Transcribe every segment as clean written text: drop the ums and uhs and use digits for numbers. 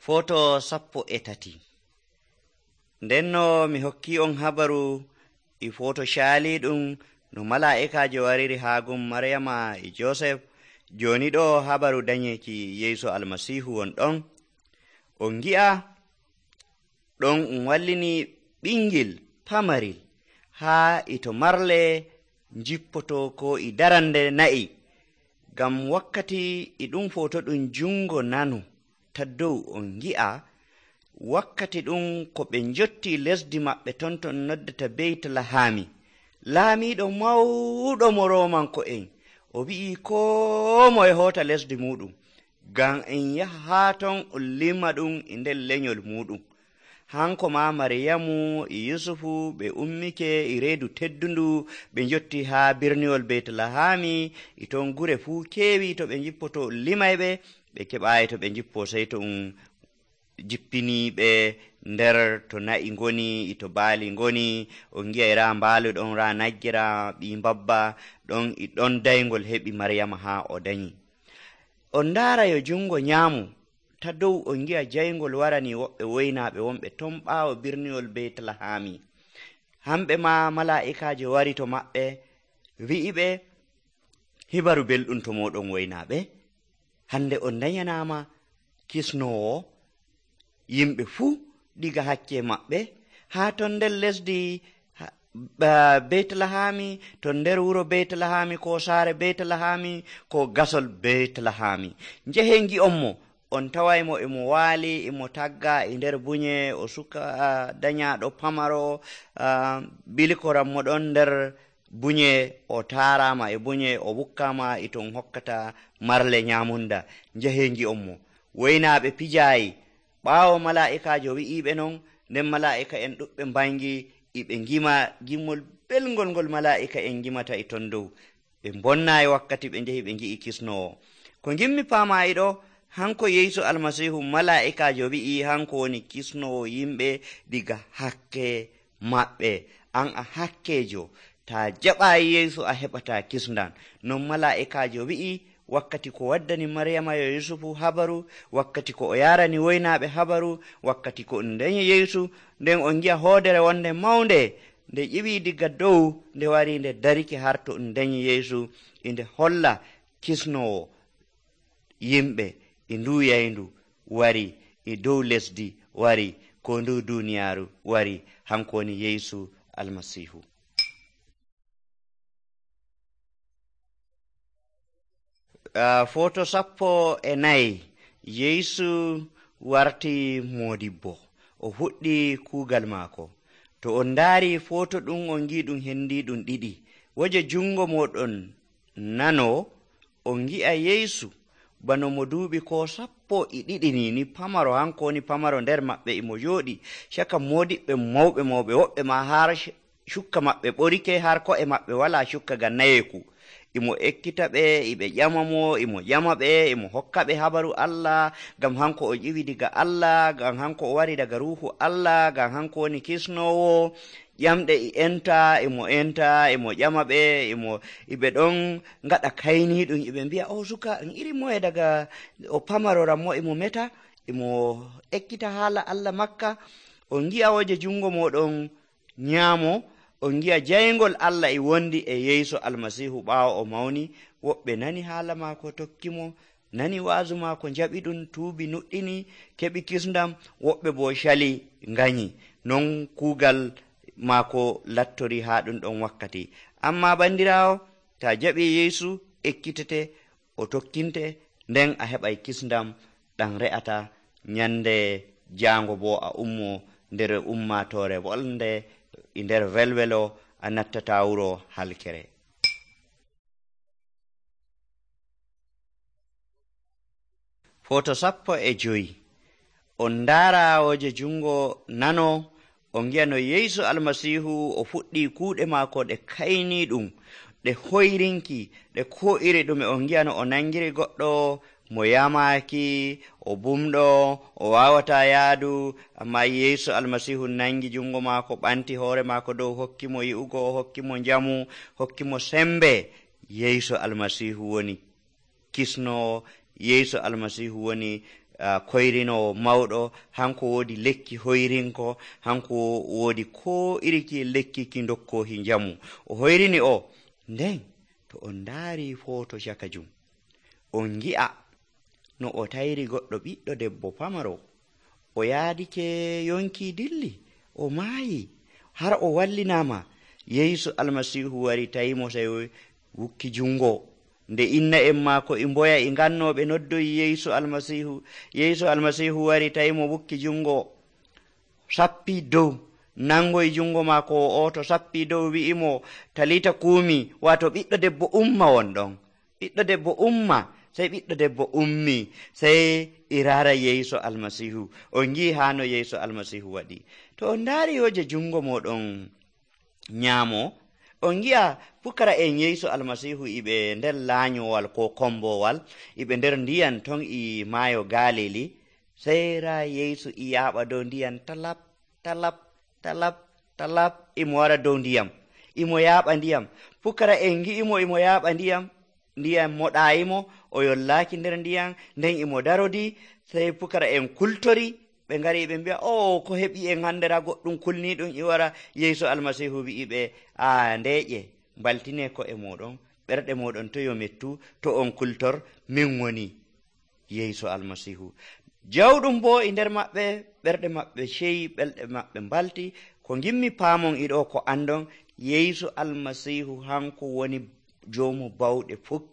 Foto 13. Ndenno mi hokki on habaru e foto shaaliɗum no mala'ikajo wariri haa gun Maryama e Joseph. Joni ɗo habaru danyeki Yeesu Almasihu won ɗon. On ngi'a ɗon wallini ɓingel pamaril haa ito marle jippoto ko e darande na'i. Ngam wakkati e ɗum foto ɗum jungo nano ta dow on ngi'a wakkati ɗum ko ɓe jotti lesdi maɓɓe ton noddata Beytlahami. Laamiɗo mawɗo mo Romanko'en o wi'i koo moye hoota lesdi muɗum ngam en yaha haa ton on limma ɗum e nder lenyol muɗum. Hanko ma Maryamu e Yusufu ɓe ummike e reedu teddundu ɓe jotti haa birniwol Beytlahami e ton gure fuu keewi to ɓe jippoto limayɓe ɓe keɓaayi to ɓe jippo sey to jippini ɓe nder to na'i ngoni to baali ngoni. On ngi'ay raa mbaalu ɗon raa nagge raa ɓii mbabba ɗon e ɗon dayngol heɓi Maryama haa o danyi. On ndaara yo jungo nyaamu ta dow on ngi'a jayngol warani woɓɓe woynaaɓe wonɓe ton ɓaawo birniwol Beytlahami. Hamɓe ma mala'ikaajo wari to maɓɓe wi'iɓe hibaru belɗum to moɗon woynaaɓe. Hande on danyanaama kisnowo yimɓe fuu diga hakke maɓɓe haa ton nder lesdi Beytlahami, ton nder wuro Beytlahami ko saare Beytlahami ko gasol Beytlahami. Njehen ngi'onmo on tawaymo emo waali emo tagga e nder bunye o suka danyaɗo pamaro bilikoranmo ɗon nder bunye o taarama e bunye o wukkama e ton hokkata marle nyamunda. Njehen ngi'onmo woynaaɓe pijayi ɓaawo mala'ikajo wi'iɓe non, nden mala'ika en ɗuɓɓe mbangi iɓe ngima gimmol belgol ngol mala'ika en ngimata e ton dow. Ɓe bonnayi wakkati ɓe njehi ɓe ngi'i kisnowo. Ko ngimmi paamayi ɗo, hanko Yeesu Almasihu mala'ikajo wi'i hanko woni kisnowo yimɓe diga hakke maɓɓe. An a hakkejo, ta jaɓayi Yeesu a heɓata kisndan. Non mala'ikajo wi'i wakkati ko waddani Maryama yo Yusufu habaru, wakkati ko o yarani woynaaɓe habaru, wakkati ko on danyi Yeesu, nden on ngi'a hoodere wonde mawnde nde ƴiwi diga dow nde wari nde dariki har to on danyi Yeesu nde holla kisnowo yimɓe e ndu yayndu wari e dow lesdi wari ko ndu duniyaaru wari. Hanko woni Yeesu Almasihu. Foto 14. Yeesu warti modibbo, o fuɗɗi kuugal maako. To on ndaari foto ɗum on ngi ɗum hendi ɗum ɗiɗi. Woje jungo moɗon nano on ngi'a Yeesu bano mo duuɓi ko 12 ni pamaro. Hanko woni pamaro nder maɓɓe emo jooɗi caka modiɓɓe mawɓe woɓɓe ma har cukka maɓɓe ɓorike har ko'e maɓɓe wala cukka ngam nayeeku. Imo ekkita ɓe iɓe ƴama mo, imo ƴama ɓe, imo hokka ɓe habaru Allah, ngam hanko o ƴiwi diga Allah, ngam hanko o wari daga ruuhu Allah, ngam hanko woni kisnowo. Ƴamɗe e enta, imo ƴama ɓe, iɓe ɗon ngaɗa kayniɗum, iɓe mbi'a o suka en iri moye daga o pamaroran mo imo meta, imo ekkita haala Allah makka. On ngi'a woje jungo moɗon nyaamo, on ngi'a jayngol Allah e wondi e Yeesu Almasihu ɓaawo o mawni. Woɓɓe nani haala maako tokkimo, nani waazu maako njaɓi ɗum, tuubi nuɗɗini, keɓi kisndam. Woɓɓe bo cali nganyi. Non kuugal maako lattori haa ɗum ɗon wakkati. Amma bandiraawo, ta jaɓi Yeesu ekkitete, o tokkinte, nden a heɓay kisndam ɗam re'ata nyande jaango bo a ummo nder ummatore wolnde e nder welwelo, a nattata wuro halkere. Foto 15. On ndaara woje jungo nano on ngi'a no Yeesu Almasihu o fuɗɗi kuuɗe maako ɗe kayni ɗum, ɗe hoyrinki, ɗe ko iri ɗume. On ngi'a no o nangiri goɗɗo mo yamaki, o bumɗo, o wawata yaadu, amma Yeesu Almasihu nangi jungo maako, ɓanti hoore maako dow, hokkimo yi'ugo, hokkimo njamu, hokkimo sembe. Yeesu Almasihu woni kisnowo, Yeesu Almasihu woni koyrinowo mawɗo, hanko woodi lekki hoyrinko, hanko woodi ko iriki lekki ki dokkohi njamu. O hoyrini o. Nden to on ndaari foto caka jum, on ngi'a no o tayri goɗɗo ɓiɗɗo debbo pamaro. O yaadike yonki dilli, o maayi, har o wallinama. Yeesu almasihu wari tayimo sey wukki jungo. Nde inna en maako e mboya e ngannoɓe noddoyi Yeesu almasihu. Yeesu almasihu wari tayimo wukki jungo, sappi dow, nangoy jungo maako o to sappi dow, wi'imo talita kuumi, wato ɓiɗɗo debbo umma wonɗon, ɓiɗɗo debbo umma. Sey ɓiɗɗo debbo ummi, sey irara Yeesu almasihu. On ngi hano Yeesu almasihu waɗi. To on ndaari yoje jungo moɗon nyaamo, on ngi'a pukara en Yeesu almasihu iɓe nder laanyowal ko kombowal, iɓe nder ndiyan ton e maayo Galili. Sey ra Yeesu i yaaɓa dow ndiyan talap talap talap talap, imo wara dow ndiyam, imo yaaɓa ndiyam. Pukara en ngi'imo imo yaaɓa ndiyam moɗayimo, o yollaaki nder ndiyam, nden imo darodi. Sey pukara en kultori, ɓe ngari ɓe mbi'a, o ko heɓi en handera goɗɗum kulniɗum i wara. Yeesu almasihu wi'iɓe, ndeƴe mbaltine ko e moɗon, ɓerɗe moɗon to yo mettu, to on kultor, min woni Yeesu almasihu. Jawɗum bo e nder maɓɓe, ɓerɗe maɓɓe ceyi, ɓelɗe maɓɓe mbalti. Ko gimmi paamon iɗo ko andon, Yeesu almasihu hanko woni joomu bawɗe fuk.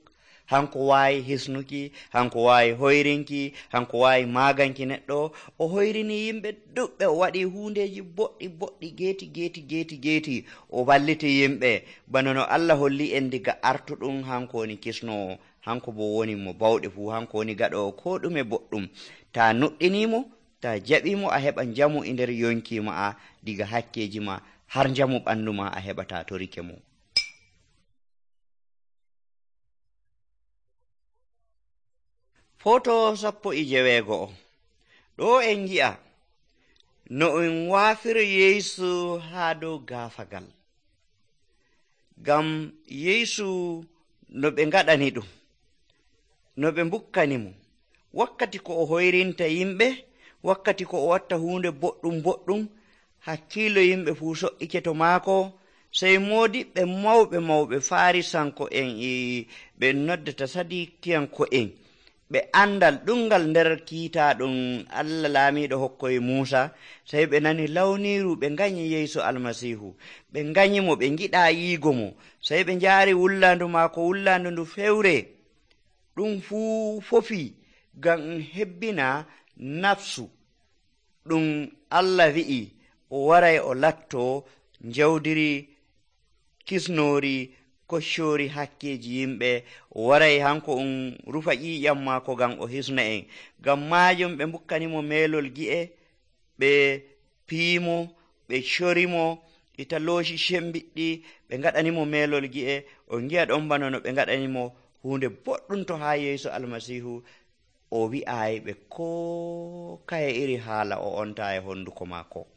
Hanko waawi hisnuki, hanko waawi hoyrinki, hanko waawi maaganki neɗɗo. O hoyrini yimɓe ɗuɓɓe, o waɗi hundeji boɗɗi geeti. O walliti yimɓe bana no Allah holli en diga artuɗum. Hanko woni kisnowo, hanko bo woni mo bawɗe fuu, hanko woni gaɗowo ko ɗume boɗɗum. Ta nuɗɗinimo, ta jaɓimo, a heɓa njamu e nder yonki ma diga hakkeji ma, har njamu ɓandu ma a heɓata to rike mo. Foto 17. Ɗo en ngi'a no en waafiri Yeesu haa dow gaafagal. Ngam Yeesu no ɓe ngaɗani ɗum, no ɓe mbukkani mo, wakkati ko o hoyrinta yimɓe, wakkati ko o watta hunde boɗɗum, hakkiilo yimɓe fuu so'ike to maako. Sey moodiɓɓe mawɓe Farisanko en ɓe noddata Sadikiyanko en, ɓe andal ɗungal nder kiita ɗum Allah laamiɗo hokkoye Muusa. Sey ɓe nani lawniru, ɓe nganyi Yeesu almasihu, ɓe nganyimo, ɓe ngiɗa yiigo mo. Sey ɓe njaari wullandu maako, wullandu ndu fewre. Ɗum fuu fofi ngam hebbina nafsu ɗum Allah wi'i o waray o latto njawdiri kisnori koccori hakkeji yimɓe. O waray hanko rufa ƴiƴam maako ngam o hisna en. Ngam maajum ɓe mbukkanimo meelol gi'e, ɓe piimo, ɓe corimo e talooshi cembiɗɗi, ɓe ngaɗanimo meelol gi'e. O ngi'a ɗon bana no ɓe ngaɗanimo hunde boɗɗum to haa Yeesu almasihu. O wi'aayi ɓe ko kaye iri haala o onta e honduko maako.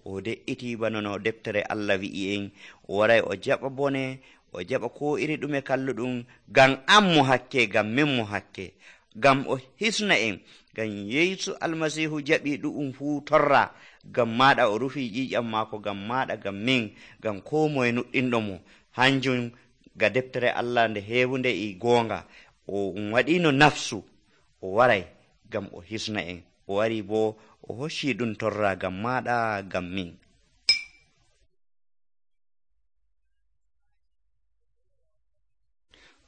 O de'iti bana no deftere Allah wi'i en, o waray o jaɓa bone, o jaɓa ko iri ɗume kalluɗum, ngam an mo hakke, ngam min mo hakke, ngam o hisna en. Ngam Yeesu almasihu jaɓi ɗu'um fuu torra, ngam maɗa o rufi ƴiƴam maako, ngam maɗa, ngam min, ngam ko moye nuɗɗinɗo mo. Hanjum ga deftere Allah nde heewunde e goonga, o waɗino nafsu, o waray ngam o hisna en. O wari bo o hocci ɗum torra ngam maɗa, ngam min.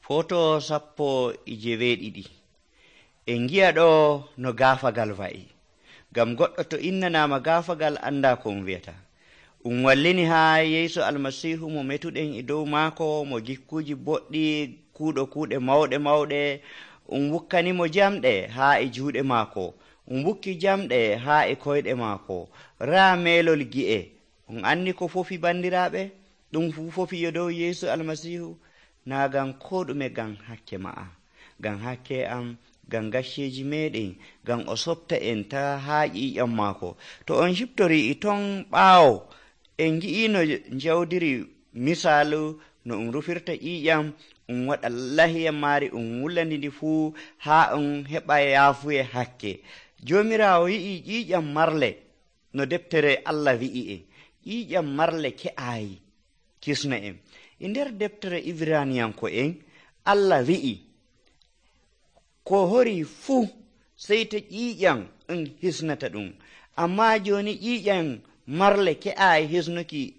Foto 17. En ngi'a ɗo no gaafagal wa'i. Ngam goɗɗo to innanama gaafagal anda ko wiyata. Wallini haa Yeesu almasihu mo metuɗen e dow maako, mo jikkuji boɗɗi, kuuɗo kuuɗe mawɗe. Wukkanimo jamɗe haa e juuɗe maako, wukki jamɗe haa e koyɗe maako, raa meelol gi'e. Anni ko fofi bandiraɓe, ɗum fuu fofi yo dow Yeesu almasihu. Na ngam ko ɗume, ngam hakke ma'a, ngam hakke am, ngam gacceji meɗen, ngam o softa en ta haa ƴiƴam maako. To on ciptori e ton ɓaawo, en ngi'ino njawdiri misalu no rufirta ƴiƴam, waɗa lahiyam maari, wullandi ndi fuu haa heɓa yaafuye hakke. Joomiraawo yi'i ƴiiƴam marle no deftere Allah wi'i en. ƴiiƴam marle ke'aayi kisna en. E nder deftere Ibraniyanko en Allah wi'i ko hori fuu sey to ƴiiƴam ɗum hisnata ɗum. Ammaa jooni ƴiiƴam marle ke'aayi hisnuki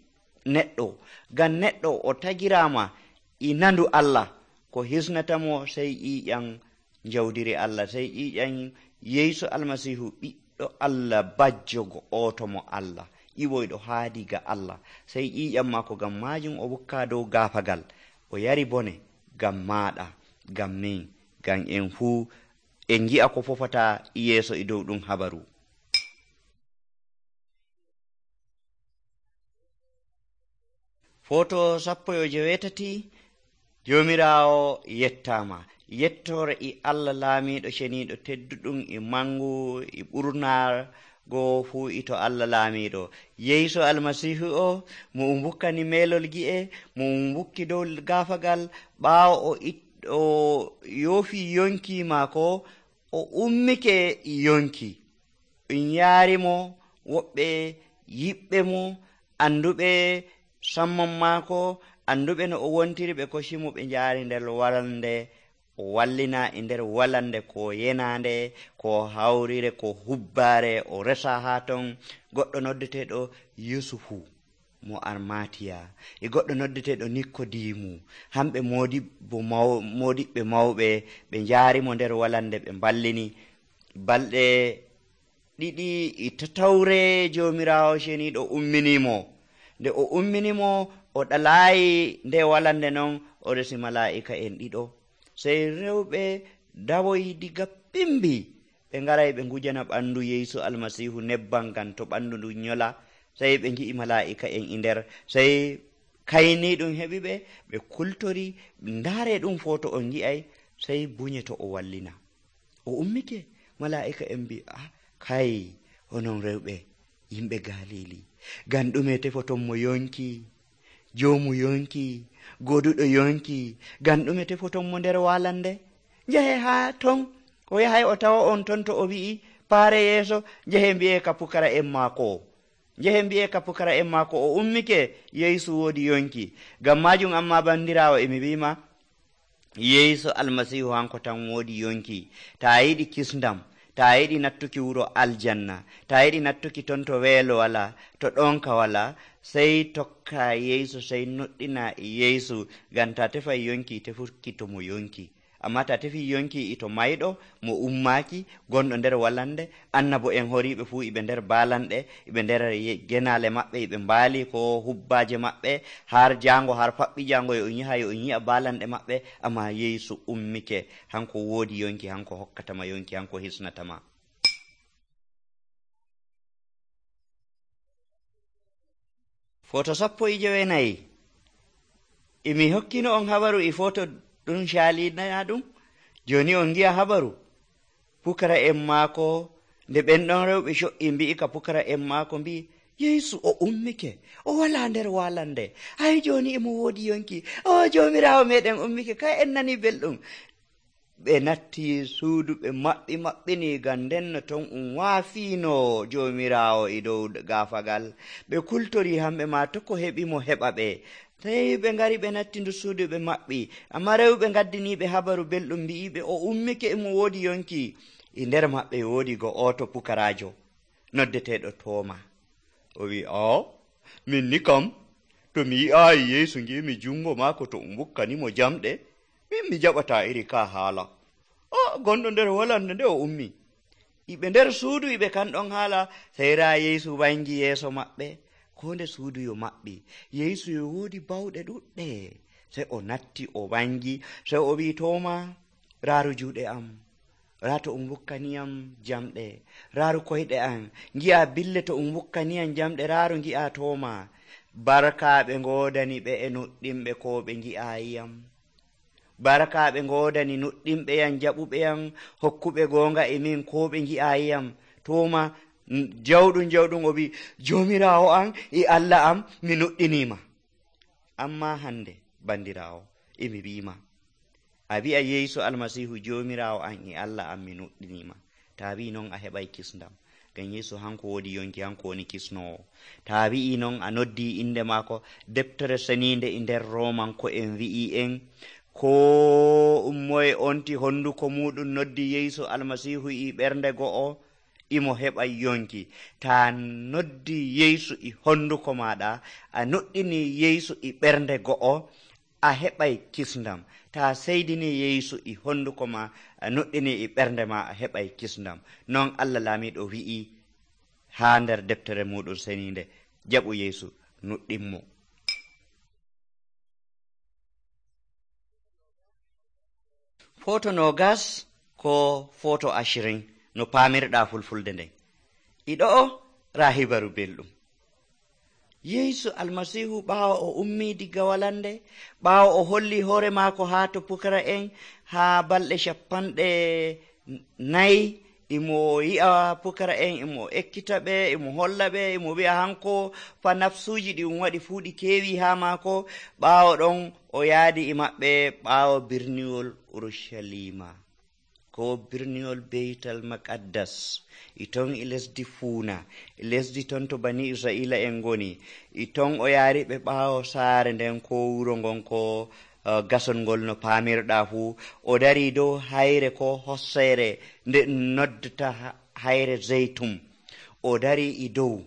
neɗɗo, ngam neɗɗo o tagiraama e nandu Allah. Ko hisnatamo sey ƴiiƴam jawdiri Allah, sey ƴiiƴam Yeesu Almasiihu ɓiɗɗo Allah bajjo go'oto mo Allah, iwoyɗo haadi ga Allah. Sey ƴiiƴam maako ngam maajum o wukka dow gaafagal, o yari bone ngam maaɗa, ngam min, ngam en fuu en ngi'a ko fofata yeeso e dow ɗum habaru. Foto 17 Joomiraawo yettama. Yettore e Allah laamiɗo ceniiɗo tedduɗum e mangu e ɓurnaago fuu ito Allah laamiɗo. Yeesu Almasiihu o mo bukkani meelol gi'e, mo bukki dow gaafagal, ɓaawo o yoofi yonki maako, o ummike yonki. Ɗum yaarimo woɓɓe yiɓɓe mo, anduɓe samman maako, anduɓe no o wontiri, ɓe kosimo ɓe njaari nder walande, o wallina e nder walande ko yenande, ko hawrire, ko hubbaare, o resa haa ton. Goɗɗo noddeteeɗo Yusufu mo Armatiya e goɗɗo noddeteeɗo Nikodimu, hamɓe moodiɓɓe mawɓe, ɓe njaarimo nder walande, ɓe mballini. Balɗe 2 e 3 Joomiraawo ceniiɗo umminimo. Nde o umminimo, o ɗalaayi nde walande non, o resi malaa'ika en 2. Sey rewɓe dawoyi diga pimbi, ɓe ngaray ɓe ngujana ɓandu Yeesu Almasiihu nebbam ngam to ɓandu ndu nyola. Sey ɓe ngi'i malaa'ika en e nder, sey kayni ɗum heɓi ɓe kultori, ndaare ɗum foto on ngi'ay, sey bunye to o wallina. O ummike, malaa'ika en mbi, kay onon rewɓe yimɓe Galili, ngam ɗume tefoton mo yonki, joomu yonki, goduɗo yonki, ngam ɗume tefoton mo nder walande? Njahe haa ton, o yahay o tawa on ton to o wi'i paare yeeso, njahe mbi'e ka pukara en maako. Njahe mbi'e ka pukara en maako, o ummike Yeesu woodi yonki. Ngam majum amma bandiraawo emi wima, Yeesu Almasiihu hanko tan woodi yonki. Ta yiɗi kisndam, ta yiɗi nattuki wuro aljanna, ta yiɗi nattuki ton to weelo wala, to ɗonka wala, sey tokka Yeesu, sey noɗɗina Yeesu, ngam ta tefay yonki tefuki to mo yonki. Amma ta tefi yonki ito mayɗo mo ummaki gonɗo nder walande, annabo en horiɓe fuu iɓe nder balanɗe, iɓe nder genale maɓɓe, iɓe mbaali ko hubbaje maɓɓe, har jango har faɓɓi jango yo on yi'a balanɗe maɓɓe. Amma Yeesu ummike, hanko woodi yonki, hanko hokkatama yonki, hanko hisnatama. Foto 14 emi hokkino on habaru e foto ɗum caalina ɗum. Joni on ngi'a habaru pukara en maako, nde ɓen ɗon rewɓe co'i mbi'i ka pukara en maako, mbi'i Yeesu o ummike, o wala nder walande, hay joni emo woodi yonki, o Joomiraawo meɗen ummike, kay en nani belɗum. Ɓe natti suudu, ɓe maɓɓini, ngam ndenno ton waafino Joomiraawo e dow gaafagal. Ɓe kultori hamɓe ma to ko heɓi mo heɓa ɓe. Tawi ɓe ngari ɓe natti ndu suudu, ɓe maɓɓi. Amma rewɓe gaddiniɓe habaru belɗum mbi'iɓe o ummike, emo woodi yonki. E nder maɓɓe woodi go'oto pukarajo noddeteɗo Tooma. O wi, min ni kam to mi yi'aayi Yeesu ngimi jungo maako to bukkanimo jamɗe, min mi jaɓata iri ka haala. Gonɗo nder walande nde o ummi. Iɓe nder suudu iɓe kanɗon haala, sey raa Yeesu wangi yeeso maɓɓe. Ko nde suudu yo maɓɓi, Yeesu yo woodi bawɗe ɗuɗɗe. Sey o natti o wangi, sey o wi, Tooma, raaru juuɗe am, raa to bukkaniyam jamɗe, raaru koyɗe am, ngi'a bille to bukkaniyam jamɗe, raaru ngi'a Tooma. Barkaaɓe ngoodani ɓe e nuɗɗimɓe ko ɓe ngi'ayiyam. Barkaaɓe ngoodani nuɗɗimɓe yam, jaɓuɓe yam, hokkuɓe goonga e min ko ɓe ngi'ayiyam. Tooma jawɗum o wi, Joomiraawo am e Allah am, mi nuɗɗinima. Amma hande bandiraawo, emi wiima, a wi'a Yeesu Almasiihu Joomiraawo am e Allah am, mi nuɗɗinima. ta wi non a heɓay kisndam, ngam Yeesu hanko woodi yonki, hanko woni kisnowo. ta wi'i non a noddi inde maako. Deftere seninde e nder romanko en wi'i en ko moye onti honduko muɗum noddi Yeesu almasihu i ɓernde go'o, imo heɓa yonki. ta noddi Yeesu i honduko maɗa, a noddini Yeesu i ɓernde go'o, a heɓay kisndam. ta seydini Yeesu i honduko ma, a noddini i ɓernde ma, a heɓay kisndam. Non Allah laamiɗo wi'i ha nder deftere muɗum seninde. Jaɓu Yeesu, nuɗɗinmo. Foto 20 ko foto 20 no paamirɗa fulfulde nden. Iɗo rahibaru belɗum. Yeesu almasihu ɓaawo o ummi diga walande, ɓaawo o holli hoore maako haa to pukara en haa balɗe 40 imo yi'a pukara en, imo ekkita ɓe, imo holla ɓe, imo wi'a hanko fa nafsuji ɗi waɗi fuu ɗi keewi haa maako. ɓaawo ɗon o yaadi e maɓɓe ɓaawo birniwol Urushalima ko birniwol Beytal Maqaddas, e ton e lesdi Fuuna, e lesdi ton to bani Israila en ngoni. E ton o yaari ɓe ɓaawo saare nden ko wuro ngon ko gasol ngol no paamirɗa fuu. O dari dow hayre ko hosseere nde noddata hayre Zeytum. o dari e dow.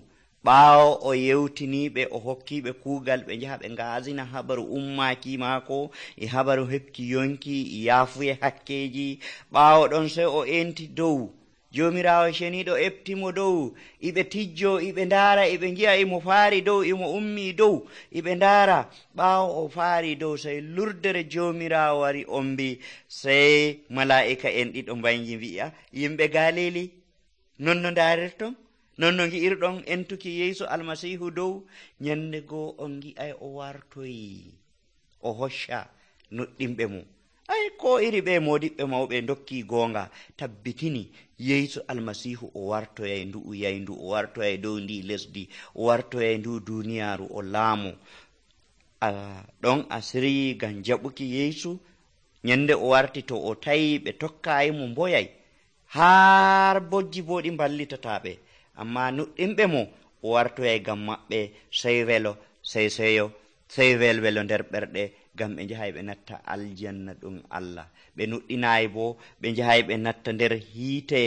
ɓaawo o yewtiniɓe, o hokkiɓe kuugal ɓe njaha ɓe ngaasina habaru ummaki maako e habaru heɓki yonki e yaafuye hakkeji. ɓaawo ɗon sey o enti dow. Jomirawo ceniɗo eftimo dow, iɓe tijjo, iɓe ndaara, iɓe ngi'a imo faari dow, imo ummi dow, iɓe ndaara. ɓaawo o faari dow, sey lurdere Jomirawo wari ombi. Sey mala'ika en ɗiɗo mbangi mbi'a, yimɓe Galili, non no ndaarirton, non no ngi'irɗon entuki Yeesu almasihu dow. Nyande goo on ngi'ay o wartoyi, o hocca nuɗɗinɓe mum. Ay, ko iri ɓe modiɓɓe mawɓe dokki goonga, tabbitini Yeesu almasihu o wartoyay ndu yaydu, o wartoyay dow ndi lesdi, o wartoyay ndu duniyaaru, o laamu. Ɗon a siryi ngam jaɓuki Yeesu. Nyande o warti, to o tawi ɓe tokkayi mo mboyay, har bojji bo ɗi mballitataɓe. Amma nuɗɗinɓe mo o wartoyay ngam maɓɓe, sey welo, sey seyo, sey welwelo nder ɓerɗe, ngam ɓe njahay ɓe natta aljanna ɗum Allah. ɓe nuɗɗinayi bo ɓe njahay ɓe natta nder hiite,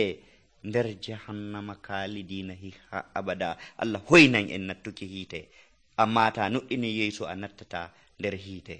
nder jahannama kaalidina ha abada. Allah hoynan en nattuki hiite. Amma ta nuɗɗini Yeesu a nattata nder hiite.